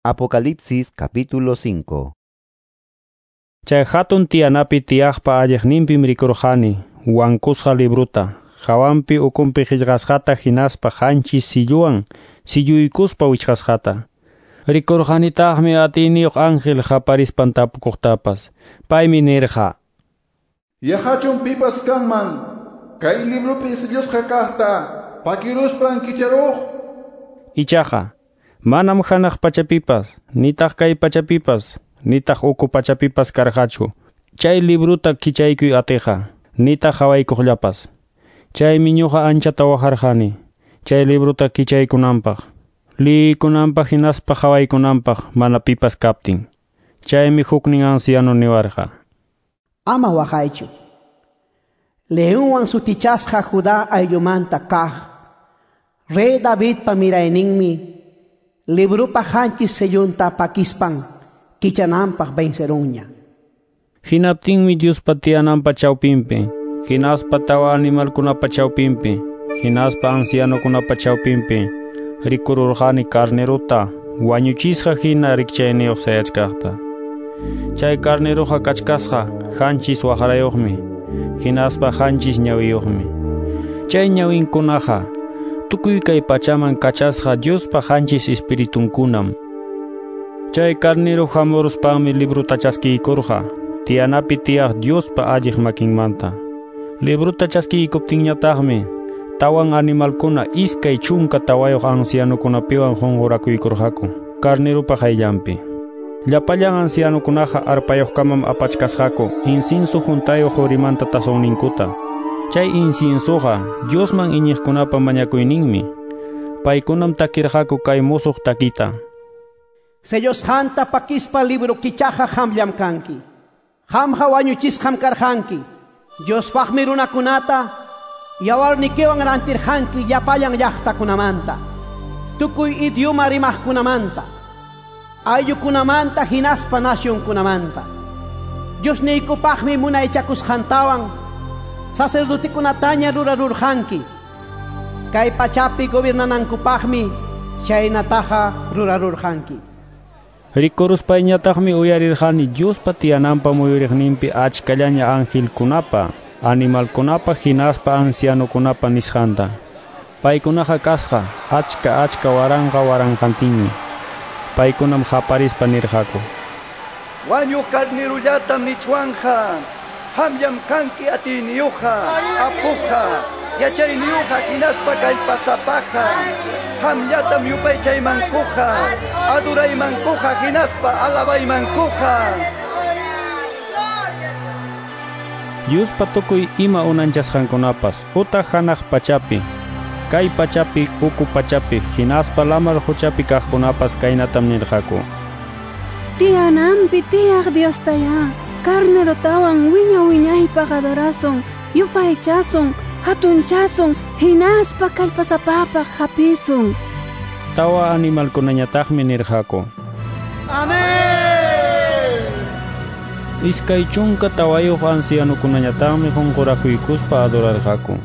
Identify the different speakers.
Speaker 1: Apocalipsis capítulo 5.
Speaker 2: Chay hatun tiyanapi tiyaqpa alliqninpim rikurqani wankusqa libruta, hawanpi ukunpi qillqasqata hinaspa qanchis silluwan silluykuspa wichqasqata. Rikurqanitaqmi atiyniyuq ángel qaparispan tapukuqtapas. Paymi nirqa:
Speaker 3: Yahachun pipas kanman, kay librupi sillusqa kaqta pakiruspan kicharuq.
Speaker 2: Ichaqa manam hanaq pachapipas, nitaq kay pachapipas, nitaq uku pachapipas karqachu. Chay libruta kichaykuy atiqa, nitaq hawaykuqllapas. Chaymi ñuqa anchata waqarqani, chay libruta kichaykunanpaq, liykunanpaq hinaspa hawaykunanpaq mana pipas kaptin. Chaymi huknin anciano niwarqa:
Speaker 4: Ama waqaychu. Leonwan sutichasqa Judá ayllumanta kaq, Rey Davidpa mirayninmi, librupa qanchis sellunta pakispan kichananpaq vencerunña.
Speaker 2: Hinaptinmi Diospa tiyananpa chawpinpi, hinaspa tawa animalkunapa chawpinpi, hinaspa ancianokunapa chawpinpi, rikururqani carneruta wañuchisqa hina rikchayniyuq sayachkaqta. Chay carneruqa kachkasqa qanchis waqrayuqmi, hinaspa qanchis ñawiyuqmi. Chay ñawinkunaqa tukuy kay pachaman kachasqa Diospa qanchis espiritunkunam. Chay carnero hamuruspanmi libruta chaskiykurqa, tiyanapi tiyaq Diospa alliq makinmanta. Libruta chaskiykuptinñataqmi tawan animalkuna 24 ancianokunapiwan qunqurakuykurqaku carnerupa qayllanpi. Llapallan ancianokunaqa arpayuqkamam apachkasqaku incienso huntayuq qurimanta tazonninkuta. Chay inciensoqa Diosman iñiqkunapa mañakuyninmi. Paykunam takirqaku kay musuq takita:
Speaker 4: Sellosqanta pakispa libro kichaqa qamllam kanki. Qamqa wañuchisqam karqanki. Diospaqmi runakunata yawarnikiwan rantirqanki llapallan llaqtakunamanta, tukuy idioma rimaqkunamanta, ayllukunamanta hinaspa nacionkunamanta. Diosniykupaqmi munaychakusqantawan sacerdotekunataña rurarurqanki. Kay pachapi gobernanankupaqmi chaynataqa rurarurqanki.
Speaker 2: Rikuruspayñataqmi uyarirqani Diospa tiyananpa muyuriqninpi achkallaña angelkunapa, animalkunapa hinaspa ancianokunapa nisqanta. Paykunaqa kasqa achka achka waranqa waranqantinmi. Paykunam qaparispa nirqaku:
Speaker 5: Wañuq carnerullatam nichwanja, qamllam kanki atiyniyuqqa, apuqqa, yachayniyuqqa hinaspa kallpasapaqa. Qamllatam yupaychaymankuqa, aduraymankuqa hinaspa alabaymankuqa.
Speaker 2: Diospa tukuy ima unanchasqankunapas utaq hanaq pachapi, kay pachapi, uku pachapi, hinaspa lamar quchapi kaqkunapas kaynatam nirqaku:
Speaker 6: Tiyananpi tiyaq Diostayá, carnerotawan wiña wiñaypaq adorasun, yupaychasun, hatunchasun, hinaspa kallpasapapaq hapisun.
Speaker 2: Tawa animalkunañataqmi nirqaku:
Speaker 5: Amén.
Speaker 2: 24 ancianokunañataqmi qunqurakuykuspa adorarqaku.